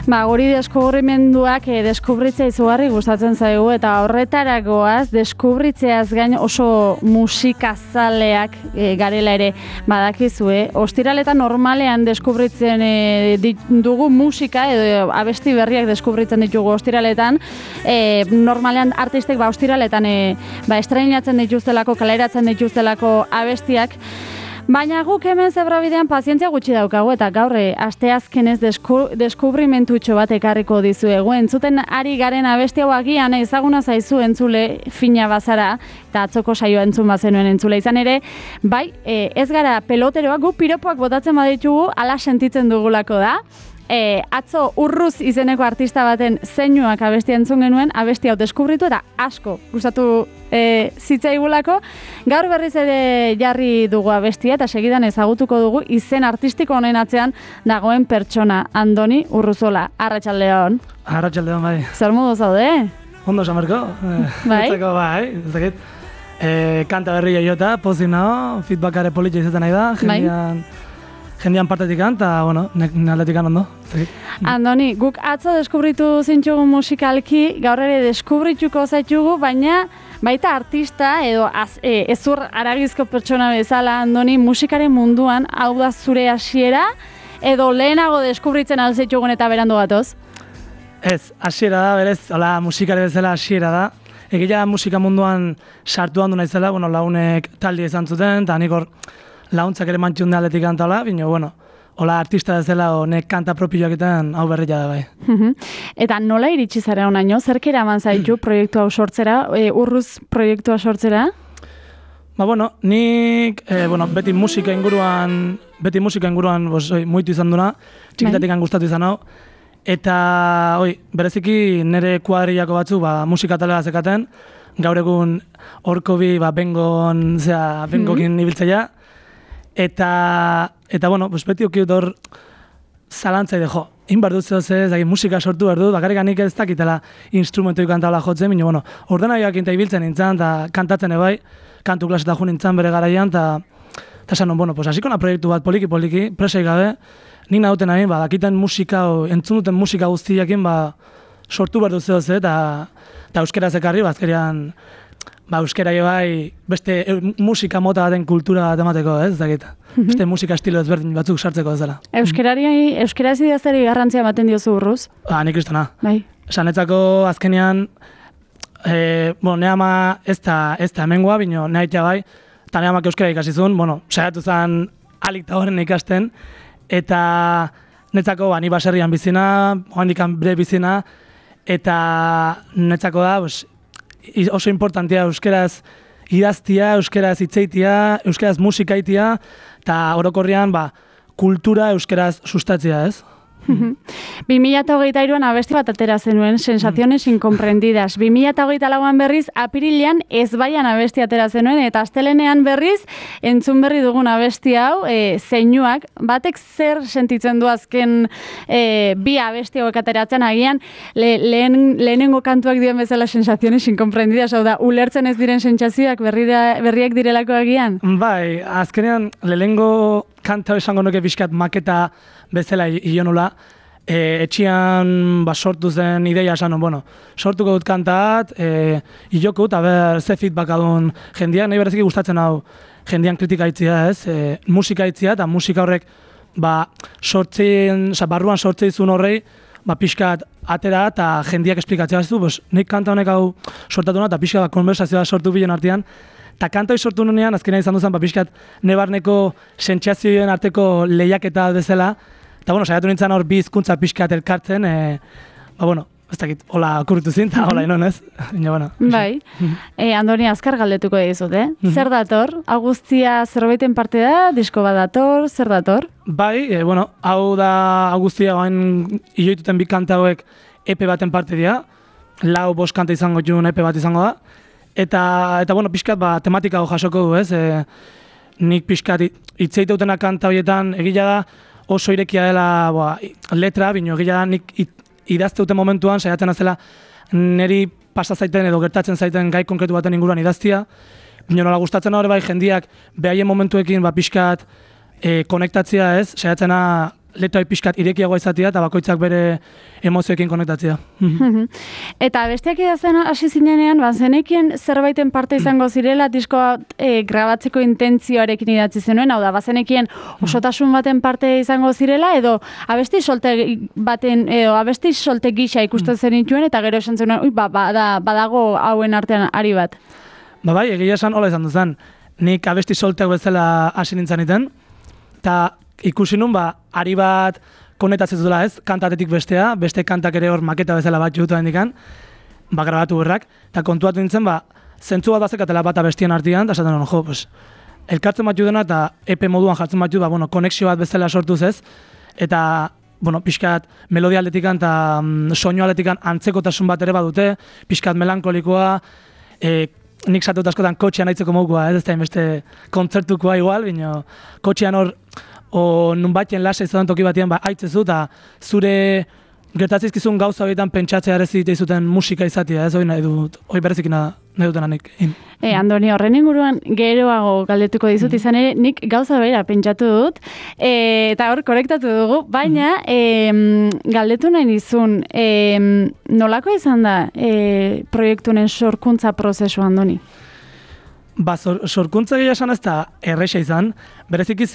Guri deskubrimenduak deskubritzea izugarri gustatzen zaigu eta horretaragoaz deskubritzeaz gain oso musikazaleak garela ere badakizue. Ostiraletan normalean deskubritzen dugu musika edo abesti berriak deskubritzen ditugu ostiraletan. Normalean artistek ostiraletan estreinatzen dituztelako, kaleratzen dituztelako abestiak. Baina guk hemen Zebrabidean pazientzia gutxi daukagu eta gaur asteazkenez deskubrimentutxo bat ekarriko dizuegu. Entzuten ari garen abesti hau agian ezaguna zaizu entzule fina bazara eta atzoko saioa entzun bazenuen entzule izan ere, bai, ez gara peloteroak, gu piropoak botatzen baditugu, ala sentitzen dugulako da. Atzo Urruz izeneko artista baten zeinuak abestia entzun genuen, abesti hau deskubritu eta asko gustatu zitzaigulako. Gaur berriz ere jarri dugu abestia eta segidan ezagutuko dugu izen artistiko honen atzean dagoen pertsona, Andoni Urruzola. Arratsaldeon. Arratsaldeon, bai. Zer modu zaude? Ondo samarko. Bai? Ez dakit. Kanta berria jota, pozik nago, feedbackare politia izaten nahi da, jendean partetik eta, bueno, aldetik ondo. Andoni, guk atzo deskubritu zintxugu musikalki, gaur ere deskubrituko zaitugu, baina baita artista edo ezur aragizko pertsona bezala, Andoni, musikaren munduan, hau da zure hasiera, edo lehenago deskubritzen alzaitugun eta berandu gatoz? Ez, hasiera da, berez, hola, musikare bezala hasiera da. Egia musika munduan sartu handu naizela, bueno, launek talde izan zuten, eta nik hor launtzak ere mantxun da aldetik kantala, bino, bueno, hola artista bezala honek kanta propioak egiten hau berria da bai. Eta nola iritsi zara honaino? Zerk eraman zaitu proiektu hau sortzera, Urruz proiektua sortzera? Bueno, nik beti musika inguruan muitu izan duna, txikitatik gustatu izan hau, eta bereziki nire kuadrillako batzu musika talega zekaten, gaur egun horko bi bengokin ibiltzeia, eta beti okiut hor zalantzai de jo, inbar dut zehose, musika sortu behar dut, bakarrik nik ez dakitela instrumentoik kantabla jotzen, baina ordenagioak inta ibiltzen nintzen, eta kantatzen ebai, kantu klaseta jo nintzen bere garaian, eta esan hasiko na proiektu bat poliki, presai gabe, nik nahuten nahi, dakiten musika, entzun duten musika guztiakin, sortu behar dut zehose, eta euskeraz ekarri, azkerian, euskera bai beste musika mota baten kultura bat emateko, ez dakit. Beste musika estilo ezberdin batzuk sartzeko ez dela. Euskaraz idaztari garrantzia ematen diozu Urruz? Nik kristona. Bai. Sanetzako azkenean, ne ama ez da hemengoa, bino ne aitea bai, eta ne amak euskara ikasizun, saiatu zen alik eta horren ikasten, eta netzako ni baserrian bizina, joandikan bere bizina, eta netzako da, oso importantea euskeraz idaztia, euskeraz hitzeitia, euskeraz musikaitia, eta orokorrean kultura euskeraz sustatzea, ez? 2023an abesti bat atera zenuen, Sensaciones incomprendidas. 2024an berriz, apirilean ezbaian abesti atera zenuen, eta astelenean berriz, entzun berri dugun abesti hau, zeinuak, batek zer sentitzen du azken bi abesti hauek ateratzen, agian lehenengo kantuak dien bezala Sensaciones incomprendidas, hau da, ulertzen ez diren sentsazioak berriak direlako agian? Bai, azkenean lehenengo kanta esango nuke pixkat maketa bezala ionula, etxian sortu zen ideia esan, sortuko dut kantat, iloko dut, ze feedback adun jendean, nahi bereziki gustatzen hau jendean kritika itzia, ez, musika itzia, eta musika horrek, barruan sortzeizun horrei, pixkat atera eta jendeak esplikatzea ez du, nik kanta honek hau sortatu eta pixkat konversazioa sortu bilen artean, eta kanta hori sortu nunean, azkenean izan duzan, pixkat nebarneko sentsazioen arteko lehiaketa bezala, eta saiatu nintzen hor bi hizkuntza pixkat elkartzen, ez dakit, hola okurritu zin, eta hola inon ez. Bai, Andoni, azkar galdetuko dizut, Zer dator? Augustia zerbaiten parte da, disko bat dator, zer dator? Bai, hau da Augustia gain ioituten bi kanta hauek EP baten parte dira, 4-5 kanta izango jun EP bat izango da, eta pixkat tematika hau jasoko du, ez? Nik pixkat itzeiteutenak kanta horietan egila da, oso irekia dela letra, bino egila da nik idazteuten momentuan saiatzen azela niri pasa zaiten edo gertatzen zaiten gai konkretu baten inguruan idaztia. Bino nola gustatzen hori bai jendiak behaien momentuekin pixkat konektatzea ez, saiatzena letra pixkat irekiagoa izatea eta bakoitzak bere emozioekin konektatzea. Eta besteak idazten hasi zinenean, bazenekien zerbaiten parte izango zirela diskoa grabatzeko intentzioarekin idatzi zenuen, hau da, bazenekien osotasun baten parte izango zirela, edo abesti solte gisa ikusten zenituen, eta gero esan zenuen, badago hauen artean ari bat. Bai, egia esan hola izan duzan. Nik abesti solteak bezala hasi nintzen iten, eta ikusi nun, ari bat konetatzen dela ez, kantatetik bestea, beste kantak ere hor maketa bezala bat jutu hendikan, grabatu berrak, eta kontuatu nintzen, zentzu bat bazekatela bat abestien artean, eta esaten elkartzen bat judena eta EP moduan jartzen bat judu, konexio bat bezala sortuz ez, eta pixkat melodia aldetikan eta soinu aldetikan antzekotasun bat ere badute, pixkat melankolikoa, nik satut askotan kotxean aitzeko mokoa, ez da inbeste kontzertukoa igual, bino kotxean hor, nun batien lasa izaten toki batien aitzezu, eta zure gertatzizkizun gauza horietan pentsatzea ere zuten musika izatea, ez hori nahi dut, hori berezik nahi duten anik. Andoni, horren inguruan geroago galdetuko dizut izan ere, nik gauza bera pentsatu dut, eta hor korektatu dugu, baina galdetu nahi dizun, nolako izan da proiektunen sorkuntza prozesu, Andoni? Sorkuntza gehiago esan ez da erresa izan, berezik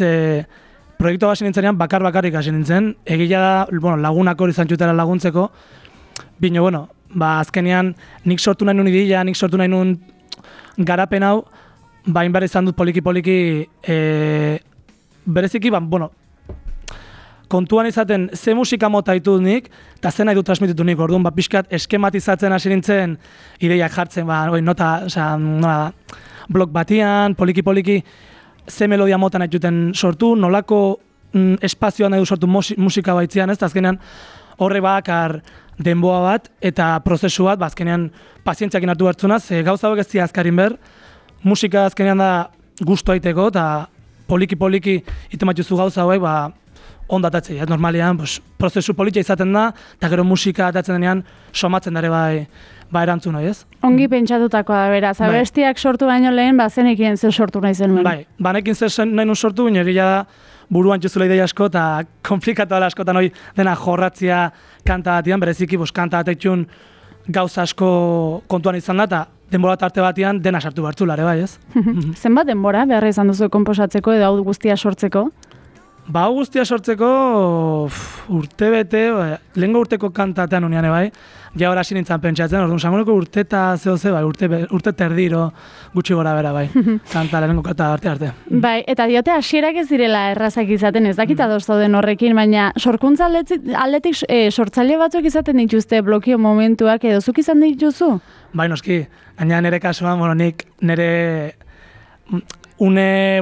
proiektua hasi nintzenean bakar-bakarrik hasi nintzen, egia da, lagunak hori zantxutera laguntzeko, bino, azkenean nik sortu nahi nun ideia, nik sortu nahi nun garapen hau, hainbar izan dut poliki-poliki, bereziki, kontuan izaten ze musika mota ditut nik, eta ze nahi dut transmititu nik, orduan, pixkat eskematizatzen hasi nintzen ideiak jartzen, blog batian, poliki-poliki, ze melodia mota nahi duten sortu, nolako espazioa nahi du sortu musika baitzean, ez, azkenean horre bakar denboa bat eta prozesu bat, azkenean pazientziakin hartu hartzunaz, gauza hauek ez zia azkarin ber, musika azkenean da gustu aiteko, eta poliki-poliki itematuzu gauza hauek, ondatatzea, normalian, prozesu politia izaten da, eta gero musika atatzen denean somatzen dare erantzun nahi, ez? Ongi pentsatutakoa da, beraz, abestiak sortu baino lehen, zenekien zer sortu nahi zenuen. Banekin zer nahi nun sortu, baina egia da buruan txuzula ideia asko, eta komplikatu dela askotan hori dena jorratzia kanta batian, bereziki kanta batetxun gauza asko kontuan izan da, eta denbora tarte batian dena sartu bartzulare, bai, ez? Zenbat denbora beharra izan duzu konposatzeko edo hau guztia sortzeko? Hau guztia sortzeko urte bete, lehenko urteko kantatean unian, bai, ja hori hasi nintzen pentsatzen, orduan sangoneko urte eta zehose, urte terdiro gutxi gora bera, bai, kanta lehenko kanta arte. Bai, eta diote hasierak ez direla errazak izaten, ez dakit ados dauden horrekin, baina sorkuntza aldetik sortzaile batzuk izaten dituzte blokio momentuak edo zuk izan dituzu? Bai, noski, gaina nire kasuan, nik nire nire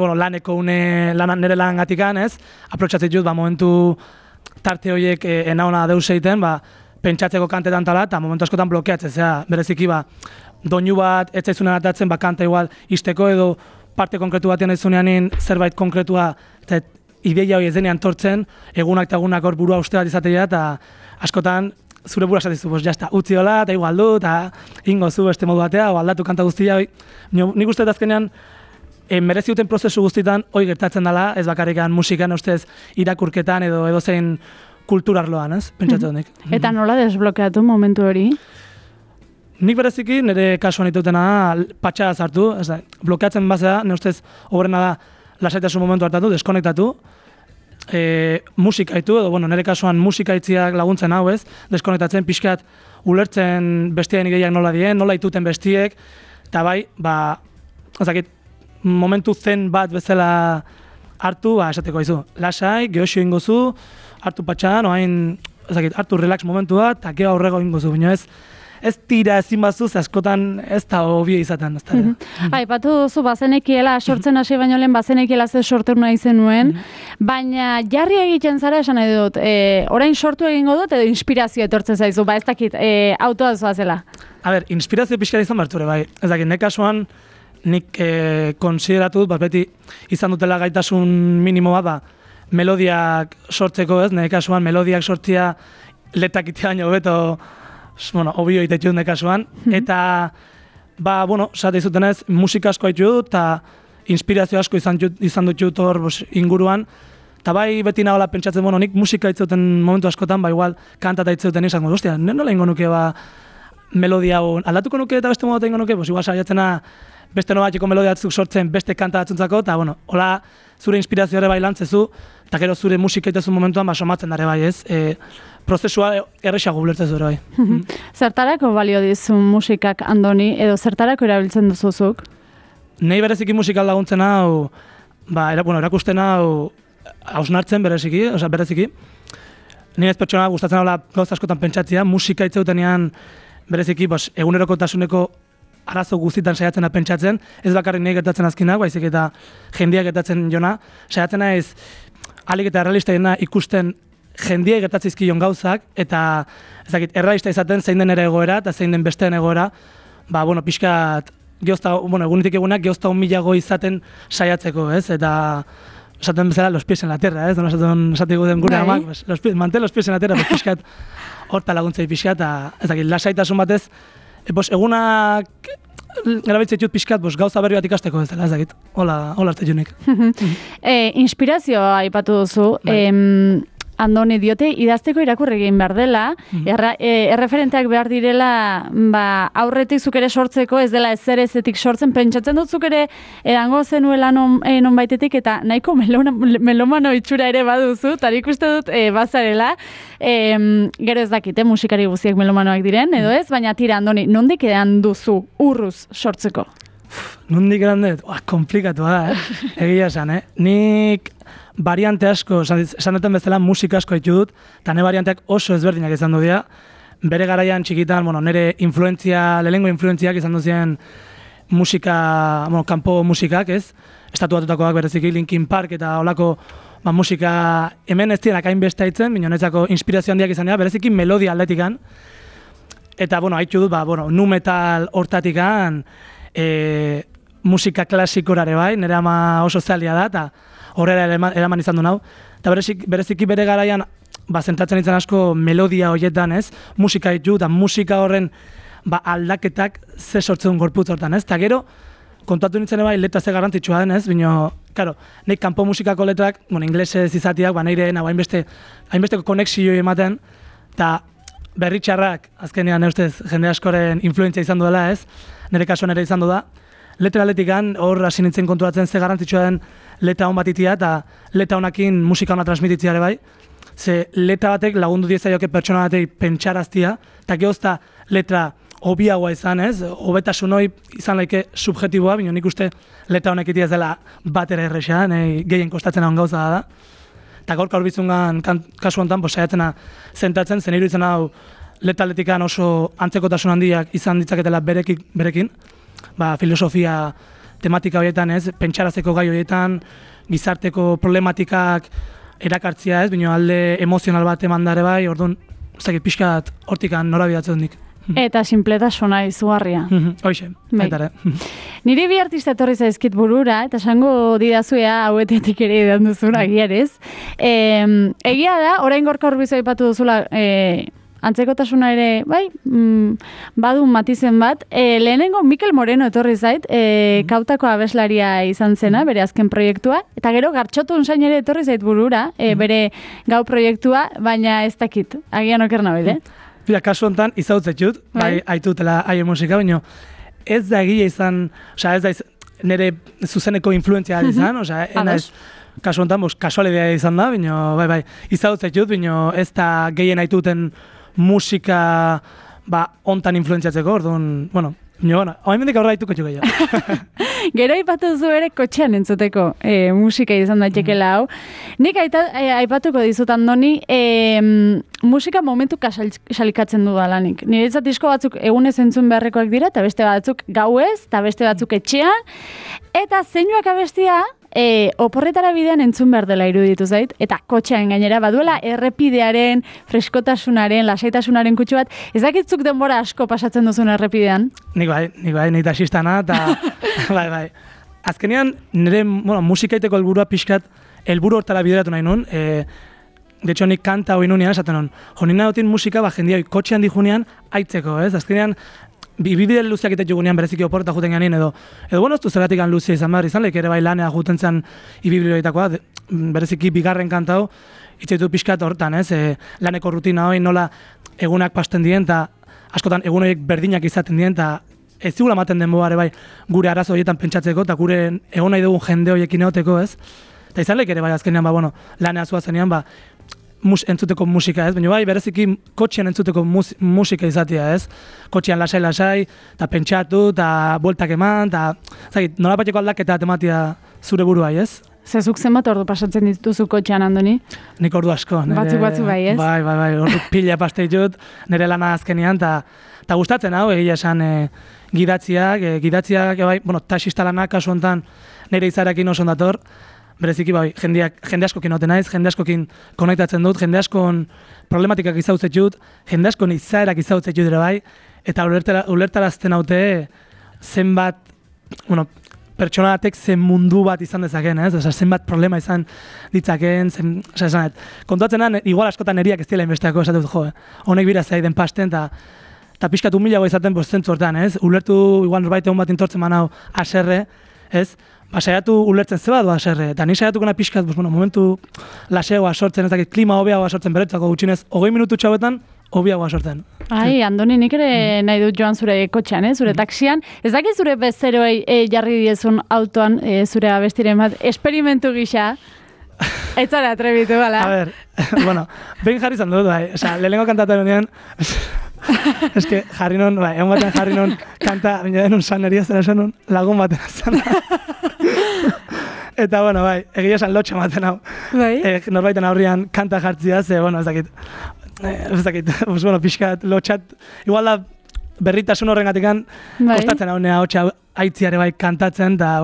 lan gatikan, ez? Aprotxatzen dut, momentu tarte horiek enauna deus egiten, pentsatzeko kantetan tala, eta momentu askotan blokeatzen, bereziki, doinu bat, ez zaizunen atatzen, kanta igual izteko edo parte konkretu batean ez zunean zerbait konkretua, eta ideia hori ez denean tortzen, egunak eta egunak hor burua uste bat izatea, eta askotan zure bura esatizu, jazta, utzi hola, eta igual du, eta ingo zu beste modu batea, o aldatu kanta guztia, nik uste azkenean, merezi duten prozesu guztietan hoi gertatzen dela, ez bakarrikan musikan, ustez irakurketan edo zein kulturarloan, ez? Pentsatzen nik. Eta nola desblokeatu momentu hori? Nik bereziki nire kasuan ditutena patxada zartu, ez da, blokeatzen bazea, nire ustez horrena da lasaitasun momentu hartatu, deskonektatu, musika itu, edo nire kasuan musika itziak laguntzen hau, ez? Deskonektatzen, pixkat ulertzen bestien ideiak nola dien, nola ituten bestiek, eta bai, ezakit, momentu zen bat bezala hartu, esateko izu, lasai, gehoxio ingozu, hartu patxan, hartu relax momentu bat, eta geho aurrego ingozu, baina ez tira ezin bazuz, askotan ez da hobie izaten. Aipatu duzu, bazenekiela, sortzen hasi baino lehen, bazenekiela ze sortu nahi zenuen, baina jarri egiten zara esan nahi dut, orain sortu egingo dut, edo inspirazio etortzen zaizu, ez dakit, autoa zoazela. Inspirazio pixka izan berture, bai, ez dakit, nek kasuan, nik konsideratu dut, beti izan dutela gaitasun minimo bat, melodiak sortzeko, ez, nire kasuan melodiak sortzia letak itea baino beto, obio itetxut nire kasuan, eta, sate izutenez, musika asko haitu dut, eta inspirazio asko izan dut hor inguruan, Eta bai beti nagoela pentsatzen, nik musika itzeuten momentu askotan, igual kantata itzeuten izan, ostia, nola ingo nuke melodia hau, aldatuko nuke eta beste modu ingo nuke, igual saiatzena beste nobatiko melodia batzuk sortzen beste kanta batzuntzako, eta hola zure inspirazio ere bai lantzezu, eta gero zure musika itezun momentuan somatzen dare bai, ez? Prozesua errexago ulertzezu ere bai. Zertarako balio dizu musikak, Andoni, edo zertarako erabiltzen duzuzuk? Nei bereziki musikal laguntzen hau, erakusten hau hausnartzen bereziki. Ni ez pertsona gustatzen hola gauza askotan pentsatzea, musika itzeutenean bereziki egunerokotasuneko arazo guztietan saiatzen da pentsatzen, ez bakarrik nahi gertatzen azkinak, baizik eta jendeak gertatzen jona, saiatzen naiz ahalik eta errealistaena ikusten jendeak gertatzizkion gauzak, eta errealista izaten zein den ere egoera eta zein den besteen egoera, pixkat egunetik egunak geozta 1.000 izaten saiatzeko, ez? Eta esaten bezala los pies en la tierra, ez? Esatiko den gure amak, mantel los pies en la tierra, pixkat horta laguntzei pixkat, eta lasaitasun batez, egunak erabiltzen ditut pixkat, gauza berri bat ikasteko ez dela, ez dakit, hola arte junik. Inspirazioa aipatu duzu, Andoni diote, idazteko irakurri egin behar dela, erreferenteak behar direla aurretik zuk ere sortzeko, ez dela ezerezetik sortzen, pentsatzen dut zuk ere edango zenuela non baitetik, eta nahiko melomano itxura ere baduzu, eta ikuste dut bazarela, gero ez dakite musikari guztiak melomanoak diren, edo ez, baina tira, Andoni, nondik edan duzu urruz sortzeko? Nondik edan dut? Komplikatu da, egia esan, Nik variante asko, esan duten bezala musika asko ditu dut, eta ne varianteak oso ezberdinak izan du dira. Bere garaian txikitan, nire lehenengo influentziak izan duzien musika, kanpo musikak, ez? Estatuatutakoak bereziki, Linkin Park eta holako musika hemen ez dienak hainbeste haitzen, baina netzako inspirazio handiak izan dira, bereziki melodia aldetikan. Eta, haitxu dut, nu metal hortatikan, musika klasikorare bai, nire ama oso zalia da, eta horrela eraman izan du nau. Eta bereziki bere garaian, zentratzen izan asko melodia horietan, ez? Musika ditu, eta musika horren aldaketak ze sortzen gorputz hortan, ez? Eta gero, kontatu nintzen bai, letra ze garrantzitsua den, ez? Bino, karo, nik kanpo musikako letrak, inglesez izatiak, nire hainbesteko konexio ematen, eta berritxarrak, azkenean, jende askoren influentzia izan duela, ez? Nire kasuan ere izan du da. Letra aletikan, hor hasi nintzen konturatzen ze garrantzitsua den letra hon bat itia, eta letra honakin musika hona transmititzea ere bai. Ze letra batek lagundu diezaioke pertsona batek pentsaraztia, eta gehozta letra hobiagoa izan, ez? Hobetasun hori izan laike subjetiboa, bino nik uste letra honek itia ez dela bat ere erresa, gehien kostatzen hon gauza da. Eta gaurka horbizungan kasu honetan, saiatzena zentratzen, zen iruditzen hau letra aletikan oso antzekotasun handiak izan ditzaketela berekin. Filosofia tematika horietan, ez, pentsarazeko gai horietan, gizarteko problematikak erakartzia, ez, bino alde emozional bat emandare bai, orduan, ez dakit pixkat hortikan norabidatzen dik. Eta sinpletasuna izugarria. Hoxe, baitare. Niri bi artista etorri zaizkit burura, eta esango didazuea hauetetik ere edan duzuna, egiarez. Egia da, orain gorka horbizu aipatu duzula, antzekotasuna ere, badu matizen bat. Lehenengo Mikel Moreno etorri zait, Kautako abeslaria izan zena, bere azken proiektua, eta gero Gartxotun zain ere etorri zait burura, bere gau proiektua, baina ez dakit, agian oker nabile. Bira, kasu honetan, izautzetxut, haitutela haien musika, baina ez da egia izan, ez da nire zuzeneko influentzia izan, kasu honetan, kasualidea izan da, baina izautzetxut, baina ez da gehien haituten musika hontan influentziatzeko, orduan, hain mendik aurra haituko txuko jo. Gero aipatu duzu ere kotxean entzuteko musika izan daitxekela hau. Nik aipatuko dizut, Andoni, musika momentuka salikatzen du dalanik. Niretzat disko batzuk egunez entzun beharrekoak dira, eta beste batzuk gauez, eta beste batzuk etxean, eta zeinuak abestia, oporretara bidean entzun behar dela iruditu zait, eta kotxean gainera baduela errepidearen, freskotasunaren, lasaitasunaren kutsu bat, ez dakitzuk denbora asko pasatzen duzun errepidean? Nik bai, taxistana, eta bai. Azkenean, nire musikaiteko helburua pixkat, helburu hortara bideratu nahi nun, de hecho, nik kanta hori nunean, esaten nun, nina dutin musika, jendia kotxean dijunean, aitzeko, ez? Azkenean, bibide luzeak ite jugunean bereziki oporta juten ganin edo bueno, ez du zergatik luzea izan behar izan, ere bai lanea juten zen ibibilioetakoa, bereziki bigarren kantau, itzaitu pixkat hortan, ez? Laneko rutina hori nola egunak pasten dien, eta askotan egun horiek berdinak izaten dien, eta ez zigula ematen den ere bai gure arazo horietan pentsatzeko, eta gure egon nahi dugun jende horiekin egoteko, ez? Eta izan ere bai azkenean, lanea zuazenean, entzuteko musika, ez? Baina bai, bereziki kotxean entzuteko musika izatea, ez? Kotxean lasai, eta pentsatu, eta bueltak eman, eta nola bateko aldaketa tematia zure buruai, ez? Zezuk zenbat ordu pasatzen dituzu kotxean, Andoni? Nik ordu asko. Batzu bai, ez? Bai, ordu pila paste ditut, nire lana azkenean, eta gustatzen hau, egia esan gidatziak, bai, taxista lanak kasu honetan nire izarekin oso ondator, bereziki bai, jende askokin noten naiz, jende askokin konektatzen dut, jende askon problematikak izautzet dut, jende askon izaerak izautzet dut ere bai, eta ulertarazten haute zenbat, pertsona batek zen mundu bat izan dezaken, ez? Osa, zenbat problema izan ditzaken, kontuatzen igual askotan neriak ez dira inbesteako, esatut jo, honek bira zaiden pasten, eta pixkat humilago izaten zentzu hortan, ez? Ulertu, igual norbait egun bat intortzen manau aserre, ez? Saiatu ulertzen zeba du aserre, eta ni saiatukena pixkat, momentu laseoa sortzen, ez dakit, klima hobeagoa sortzen beretzako gutxinez, 20 minutu txauetan, hobiagoa sortzen. Ai, Andoni, nik ere nahi dut joan zure kotxean, zure taxian. Ez dakit zure bezeroei jarri diezun autoan zure abestiren bat, esperimentu gisa. Ez zara atrebitu, bala? A ber, behin jarri izan dut, bai. Osa, lehenengo kantatzen honean, eske jarri non, egon batean jarri non kanta, baina denun saneria zera esan non, lagun baten azan. Eta, bai, egia esan lotxa maten hau. Bai? Norbaiten aurrian kanta jartzia, ze, ez dakit, pixkat, lotxat, igual da berritasun horrengatikan kostatzen hau nea hotxa aitziare bai kantatzen, eta,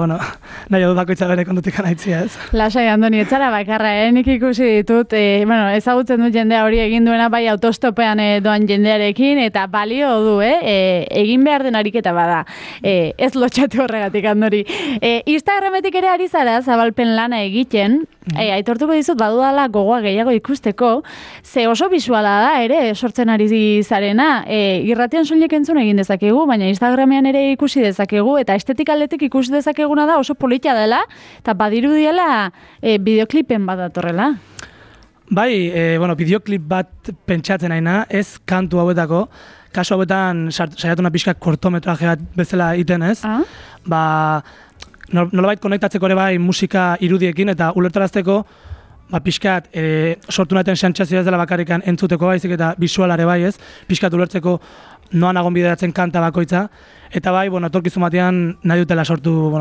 nahi dut bakoitza bere kontutikan aitzia, ez? Lasai, Andoni, etzara bakarra, nik ikusi ditut, ezagutzen dut jendea hori egin duena bai autostopean doan jendearekin, eta balio du, egin behar den ariketa bada, ez lotxatu horregatik, Andori. Instagrametik ere ari zara, zabalpen lana egiten, aitortuko dizut, badudala gogoa gehiago ikusteko, ze oso bisuala da ere, sortzen ari zarena, irratian soilik entzun egin dezakegu, baina Instagramean ere ikusi dezakegu, eta estetik aldetik ikusi dezakeguna da oso polita dela, eta badirudiela bideoklipen bat datorrela. Bai, bideoklip bat pentsatzen naina, ez kantu hauetako, kasu hauetan saiatu pixka kortometraje bat bezala iten, ez? Nolabait konektatzeko ere bai musika irudiekin, eta ulertarazteko pixkat sortu naten sentsazioa ez dela bakarrikan entzuteko baizik eta bisualare bai, ez? Pixkat ulertzeko noan agon bideratzen kanta bakoitza, eta bai, etorkizun batean nahi dutela sortu,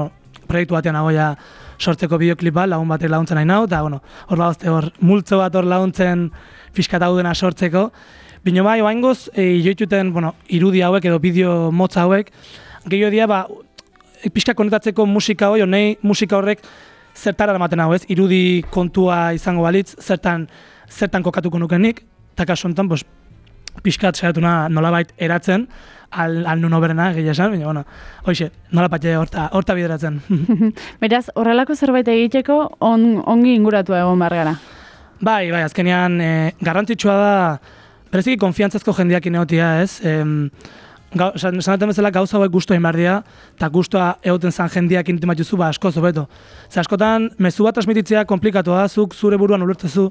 proiektu batean nagoia sortzeko bideoklip bat, lagun batek laguntzen nahi nau, eta hor multzo bat hor laguntzen pixkat hau dena sortzeko. Bino bai, oaingoz, joituten irudi hauek edo bideo motza hauek, gehiago dia, pixkat konektatzeko musika hori, nahi musika horrek zertara ematen hau, ez? Irudi kontua izango balitz, zertan kokatuko nukenik, eta kasu honetan, pixkat saiatuna nolabait eratzen, al nun oberena, egia esan, baina, hoxe, nolabait horta bideratzen. Beraz, horrelako zerbait egiteko ongi inguratu egon behar gara? Bai, azkenean, garrantzitsua da, bereziki konfiantzazko jendeak ineotia, ez? Sanaten bezala gauza hauek guztua egin behar dira, eta guztua egoten zan jendeak intimatuzu, asko zobeto. Askotan, mezu bat transmititzea komplikatu da, zuk zure buruan ulertzezu,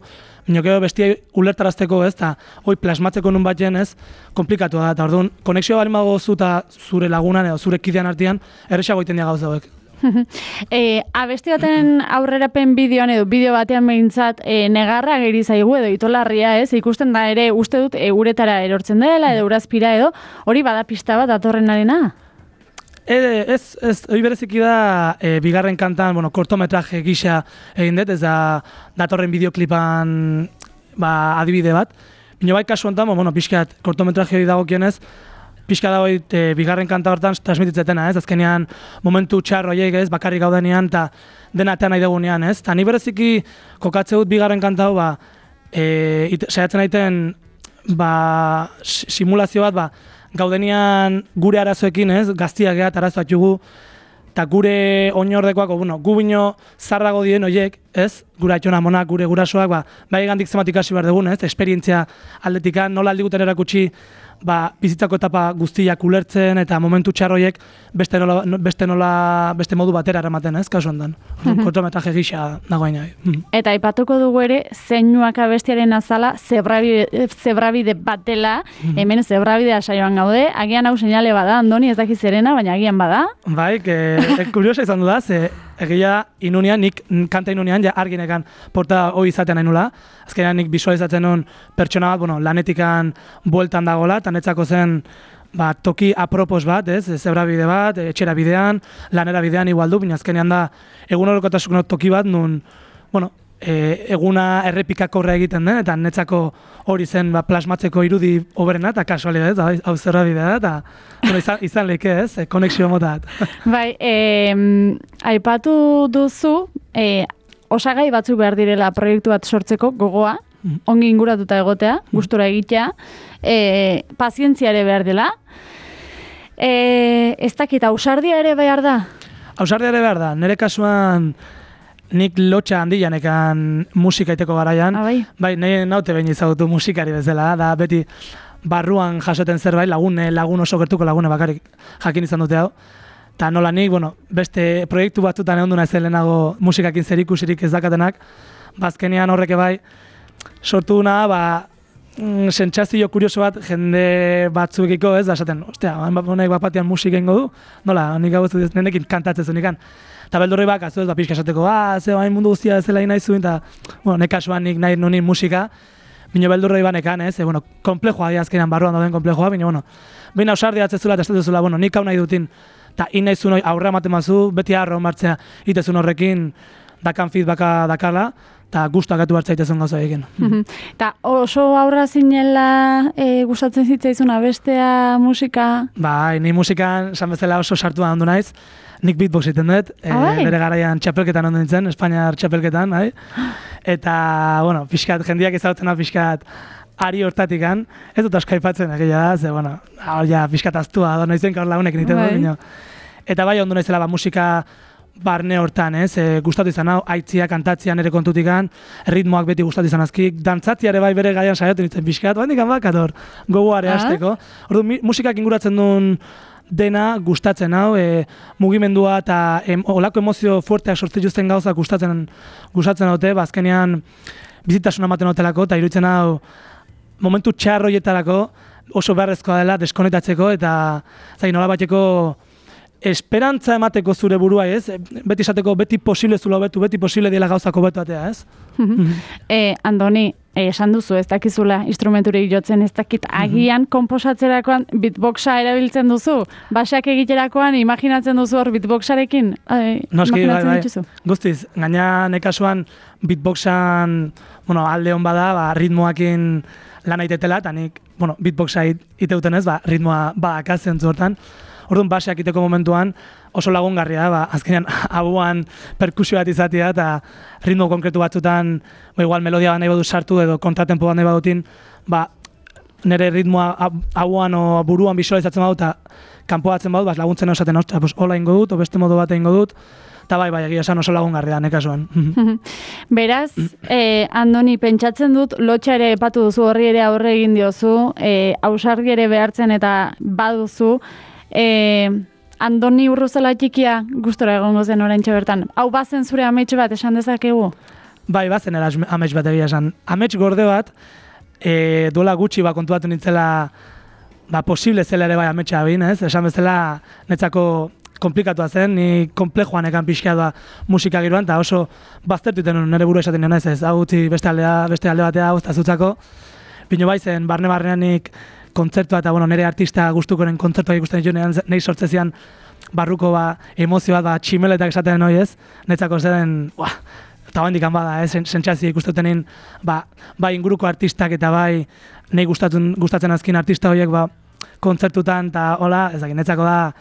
minokeo bestia ulertarazteko, ez, eta hoi plasmatzeko nun batzen, ez, komplikatu da, eta orduan, konexioa bali mago zu eta zure lagunan edo zure kidean artean, erresago egiten dira gauza hauek. Abesti baten aurrerapen bideoan edo bideo batean behintzat negarra geri zaigu edo itolarria, ez? Ikusten da ere uste dut uretara erortzen dela edo urazpira edo hori bada pista bat datorrenarena? Ez, hori bereziki da bigarren kantan, kortometraje gisa egin dut, ez da datorren bideoklipan adibide bat. Bino bai kasu honetan, pixkat kortometraje hori dagokionez, pixka da hori bigarren kanta hortan transmititzetena, ez? Azkenean momentu txarro horiek, ez? Bakarrik gaudenean eta dena atean nahi dugunean, ez? Eta ni bereziki kokatze dut bigarren kanta hau, saiatzen aiten simulazio bat, gaudenean gure arazoekin, ez? Gaztiak gehat arazoak jugu, eta gure oinordekoak, gu bino zarrago dien horiek, ez? Gure atxona monak, gure gurasoak, bai gandik zematik hasi behar dugun, ez? Esperientzia aldetikan, nola aldiguten erakutsi bizitzako etapa guztiak ulertzen eta momentu txarroiek beste modu batera eramaten, ez, kasu hondan. Kortometraje gisa dagoen jai. Eta aipatuko dugu ere, zeinuak abestiaren azala zebrabide bat dela, hemen zebrabidea saioan gaude, agian hau seinale bada, Andoni, ez dakiz zerena, baina agian bada. Bai, kuriosa izan du da, egia inunean, nik kanta inunean, ja arginekan porta hoi izatean nahi nula. Azkenean nik visualizatzen nuen pertsona bat, lanetikan bueltan dagoela, eta netzako zen toki apropos bat, zebrabide bat, etxera bidean, lanera bidean igual du, baina azkenean da egun horrekotasun toki bat, nun, eguna errepikako horre egiten den, eta netzako hori zen plasmatzeko irudi oberena, eta kasualidad, hau zebrabidea da, eta izan leke ez, konexio motat. Bai, aipatu duzu, osagai batzuk behar direla proiektu bat sortzeko gogoa, ongi inguratuta egotea, gustura egitea, pazientzia ere behar dela. Ez dakit, ausardia ere behar da? Ausardia ere behar da, nire kasuan nik lotxa handianekan musika iteko garaian. Bai, nahi naute behin izagutu musikari bezala, da beti barruan jasoten zerbait, lagun oso gertuko lagune bakarrik jakin izan dute hau. Eta nola nik, beste proiektu batzutan egon du naizen lehenago musikakin zerikusirik ez dakatenak, bazkenean horreke bai, sortu duna, sentsazio kurioso bat jende batzuekiko ez da esaten, ostia, honek bat-batean musika ingo du, nola, nik hau ez nenekin kantatzen zunikan. Eta beldurri bakazu ez da pixka esateko, ze hain mundu guztia ez dela nahi zuen, eta nekasuan nik nahi nunin musika, bino beldurri banekan ez, komplejoa azkenean barruan dauden komplejoa, bina ausardia atzezula eta esatezula, nik hau nahi dutin, eta nahi zuen aurre ematen mazu, beti harro martzea itezun horrekin, dakan feedbacka dakala, eta guztu akatu hartzaitezun gauza egin. Eta oso aurra zinela gustatzen zitzaizuna bestea musika? Bai, ni musikan esan bezala oso sartua handu naiz. Nik beatbox iten dut, bere garaian txapelketan ondo nintzen, Espainiar txapelketan, eta, pixkat, jendiak ezagutzen da pixkat ari hortatikan, ez dut asko aipatzen egia da, ze, pixkat aztua, noizen kaur lagunek nintzen dut, eta bai ondo naizela musika barne hortan, gustatu izan hau, aitzia, kantatzia nire kontutikan, ritmoak beti gustatu izan azkik, dantzatziare bai bere gaian saioten nintzen pixkat, bandikan bakator, gogoare hasteko. Ordu, musikak inguratzen duen dena gustatzen hau, mugimendua eta olako emozio fuerteak sortzen juzten gauzak gustatzen haute, azkenean bizitasuna ematen hotelako, eta iruditzen hau momentu txarroietarako oso beharrezkoa dela deskonektatzeko, eta nola bateko esperantza emateko zure burua, ez? Beti esateko, beti posible zula hobetu, beti posible dela gauzako hobetu atea, ez? Andoni, esan duzu, ez dakizula instrumenturik jotzen, ez dakit agian komposatzerakoan beatboxa erabiltzen duzu? Baseak egiterakoan imaginatzen duzu hor beatboxarekin? Noski, bai. Guztiz, gaina nekasuan beatboxan alde hon bada, ritmoakin lan aitetela, eta nik beatboxa iteuten ez, ritmoa badakazen zuhortan. Orduan, baseak iteko momentuan oso lagungarria da, azkenean abuan perkusio bat izatea eta ritmo konkretu batzutan, igual melodia bat nahi badu sartu edo kontratempo bat nahi badutin, nire ritmoa abuan o buruan visualizatzen badu eta kanpoatzen badu, laguntzen esaten, hola ingo dut, o beste modu bat ingo dut, eta bai, egia esan oso lagungarria nekasuan. Beraz, Andoni, pentsatzen dut, lotxa ere epatu duzu, horri ere aurre egin diozu, ausargi ere behartzen eta baduzu, Andoni Urruzela txikia gustora egongo zen oraintxe bertan. Hau bazen zure amets bat esan dezakegu? Bai, bazen amets bat egia esan. Amets gorde bat, duela gutxi kontuatu nintzela posible zela ere bai ametsa bin, ez? Esan bezala netzako komplikatua zen, ni komplejoan ekan pixka da musika giroan, eta oso baztertu iten nire buru esaten nena ez, hau gutxi beste alde batea hau eta zutzako. Bino bai zen, barne-barnean nik kontzertua eta nire artista gustukoren kontzertuak ikusten ditu nahi sortzezian barruko emozio bat tximeletak esaten hori ez, netzako zen, eta handikan bada, sentsazio ikustetenin, bai inguruko artistak eta bai nahi gustatzen azkin artista horiek kontzertutan eta hola, ezagin, netzako da,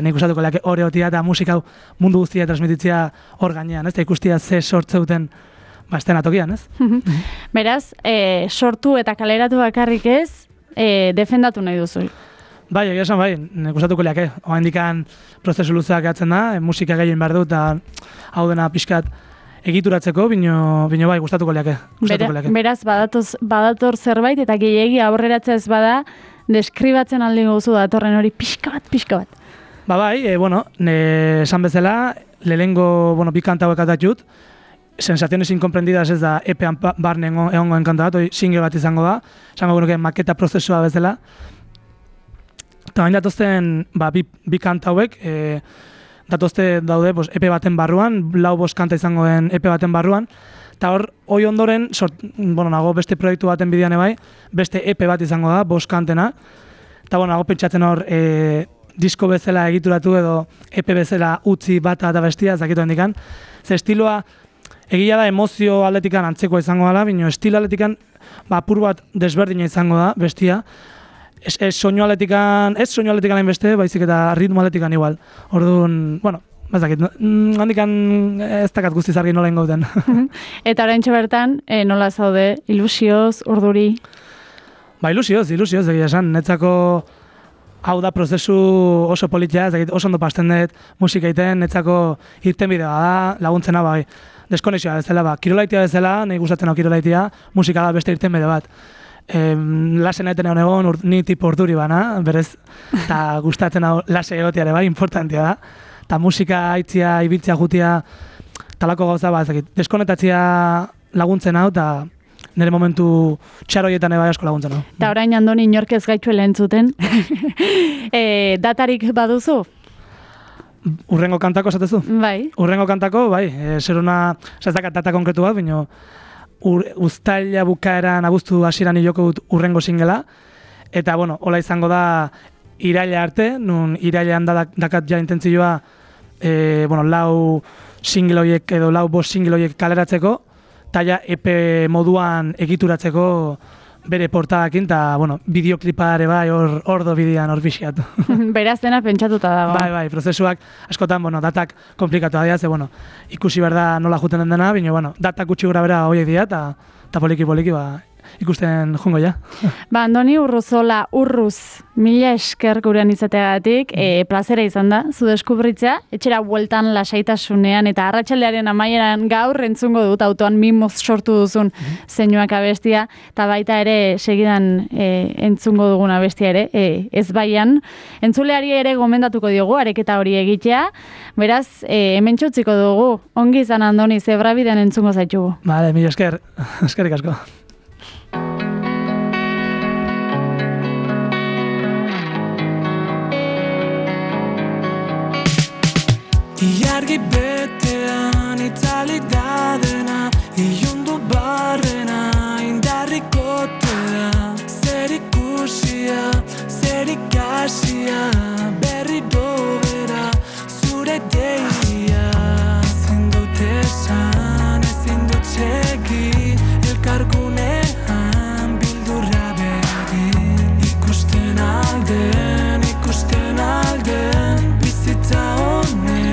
nahi gustatuko leake hori hotia eta musika mundu guztia transmititzea hor gainean, ez, eta ikustia ze sortzeuten estena tokian, ez? Beraz, sortu eta kaleratu bakarrik ez, defendatu nahi duzu. Bai, egia esan bai, gustatuko leake. Hoa indikan prozesu luzeak atzen da, musika gehien behar du, eta hau dena pixkat egituratzeko, bino bai, gustatuko leake. Beraz, badator zerbait, eta gehiegi aurreratzea ez bada, deskribatzen aldi gozu datorren hori pixka bat. Ba bai, esan bezala, lehengo, bi kanta hauek atatxut, Sensaciones incomprendidas ez da epean barne egongoen kanta bat, single bat izango da, esango genuke maketa prozesua bezala. Eta bain datozten bi kanta hauek, datozte daude epe baten barruan, 4-5 kanta izango den epe baten barruan, eta hoi ondoren, nago beste proiektu baten bidean ebai, beste epe bat izango da, 5 kantena, eta nago pentsatzen hor disko bezala egituratu edo epe bezala utzi bata eta bestia, ez dakitu hendikan, ze estiloa, egia da emozio aldetikan antzekoa izango dela, baina estilo aldetikan apur bat desberdina izango da, bestia. Ez soinu aldetikan hain beste, baizik eta ritmo aldetikan igual. Orduan, ez dakit, handikan ez dakat guztiz argi nola ingoten. Eta oraintxe bertan, nola zaude, ilusioz, urduri? Ba, ilusioz, egia esan, netzako hau da prozesu oso politia, oso ondo pasten dut musika egiten, netzako irten bidea da, laguntzena bai. Deskonexioa bezala, kirolaitia bezala, nahi gustatzen hau kirolaitia, musika da beste irten bide bat. Lasen aiten egon ni tipo urduri bana, berez, eta gustatzen hau lase egotiare bai, importantia da. Eta musika haitzia, ibiltzia jutia, talako gauza bat, deskonetatzia laguntzen hau, eta nire momentu txaroietan eba asko laguntzen hau. Eta orain Andoni inork ez gaitxuela entzuten. Datarik baduzu? Urrengo kantako esatezu? Bai. Urrengo kantako, bai. Zer hona, ez dakat data konkretu bat, baina uztaila bukaeran abuztu hasieran hiloko dut urrengo singela. Eta, hola izango da iraila arte, nun irailean dakat ja intentzioa 4 single horiek edo 5 single horiek kaleratzeko, eta ja EP moduan egituratzeko bere portadakin, eta, bideoklipa ere bai, hor do bidean, hor bixiatu. Beraz dena pentsatuta dago. Bai, prozesuak, askotan, datak komplikatu dira, ze, ikusi behar da nola juten den dena, baina, datak gutxi gura bera horiek dira, eta poliki, ikusten jungo ja. Andoni Urruzola, Urruz, mila esker gurean izateagatik, plazera izan da, zu deskubritzea, etxera bueltan lasaitasunean, eta arratsaldearen amaieran gaur entzungo dut autoan mimoz sortu duzun zeinuak abestia, eta baita ere segidan entzungo dugun abestia ere, ez baian. Entzuleari ere gomendatuko diogu, areketa hori egitea, beraz, hemen txutziko dugu, ongi izan Andoni, zebrabidean entzungo zaitugu. Bale, mila esker, eskerrik asko. Iargi betean itzali dadena, ilundu barrena indarrikotea, zer ikusia, zer ikasia, berri dobera, zure deia. Ezin dut esan, ezin dut segi, elkargunean bildurra begin. Ikusten alden, bizitza honen.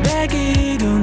Begiru